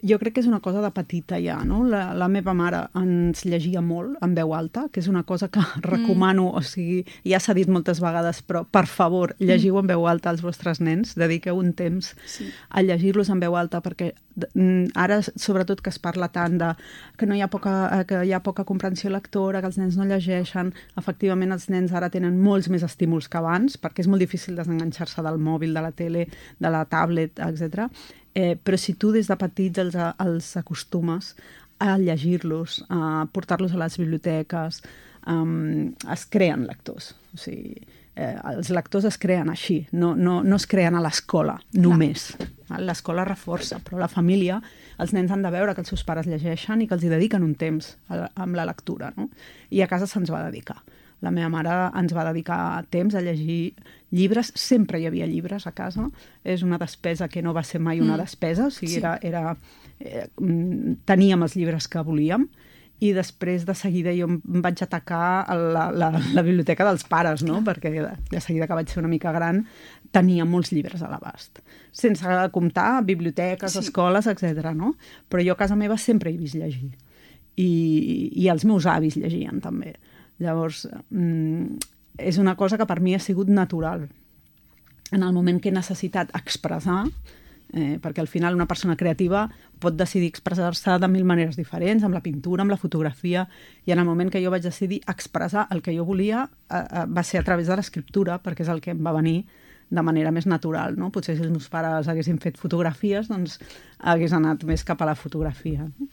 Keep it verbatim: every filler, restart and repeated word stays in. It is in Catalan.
jo crec que és una cosa de petita ja, no? La, la meva mare ens llegia molt en veu alta, que és una cosa que recomano, mm. o sigui, ja s'ha dit moltes vegades, però per favor, llegiu en veu alta als vostres nens, dediqueu un temps sí. a llegir-los en veu alta, perquè ara, sobretot que es parla tant de que, no hi ha poca, que hi ha poca comprensió lectora, que els nens no llegeixen, efectivament els nens ara tenen molts més estímuls que abans, perquè és molt difícil desenganxar-se del mòbil, de la tele, de la tablet, etcètera. Eh, però si tu des de petits els, els acostumes a llegir-los, a portar-los a les biblioteques, um, es creen lectors. O sigui, eh, els lectors es creen així, no, no, no es creen a l'escola, només. L'escola reforça, però la família, els nens han de veure que els seus pares llegeixen i que els hi dediquen un temps a, amb la lectura, no? I a casa se'ns va dedicar. La meva mare ens va dedicar temps a llegir llibres, sempre hi havia llibres a casa, és una despesa que no va ser mai una despesa, o sigui, sí. era, era, eh, teníem els llibres que volíem, i després de seguida jo em vaig atacar la, la, la biblioteca dels pares, no? Perquè de seguida que vaig ser una mica gran tenia molts llibres a l'abast, sense comptar biblioteques, sí. escoles, etcètera, no? Però jo a casa meva sempre he vist llegir, i, i els meus avis llegien també. Llavors, mm, és una cosa que per mi ha sigut natural. En el moment que he necessitat expressar, eh, perquè al final una persona creativa pot decidir expressar-se de mil maneres diferents, amb la pintura, amb la fotografia, i en el moment que jo vaig decidir expressar el que jo volia, eh, eh, va ser a través de l'escriptura, perquè és el que em va venir de manera més natural, no? Potser si els meus pares haguessin fet fotografies, doncs hagués anat més cap a la fotografia, no?